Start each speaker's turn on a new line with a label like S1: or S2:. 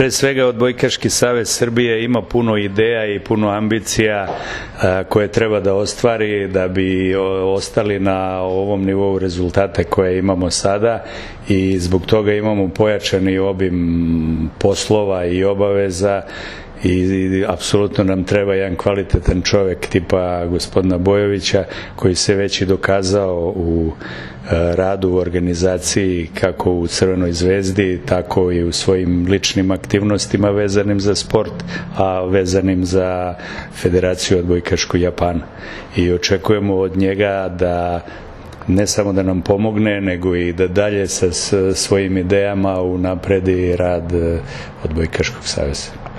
S1: Pre svega Odbojkaški savez Srbije ima puno ideja i puno ambicija koje treba da ostvari da bi ostali na ovom nivou rezultate koje imamo sada i zbog toga imamo pojačani obim poslova i obaveza i apsolutno nam treba jedan kvalitetan čovek tipa gospodina Bojovića koji se već i dokazao u radu u organizaciji kako u Crvenoj zvezdi tako i u svojim ličnim aktivnostima vezanim za sport, a vezanim za Federaciju odbojkašku Japana. I očekujemo od njega da ne samo da nam pomogne, nego i da dalje sa svojim idejama unapredi rad Odbojkaškog saveza.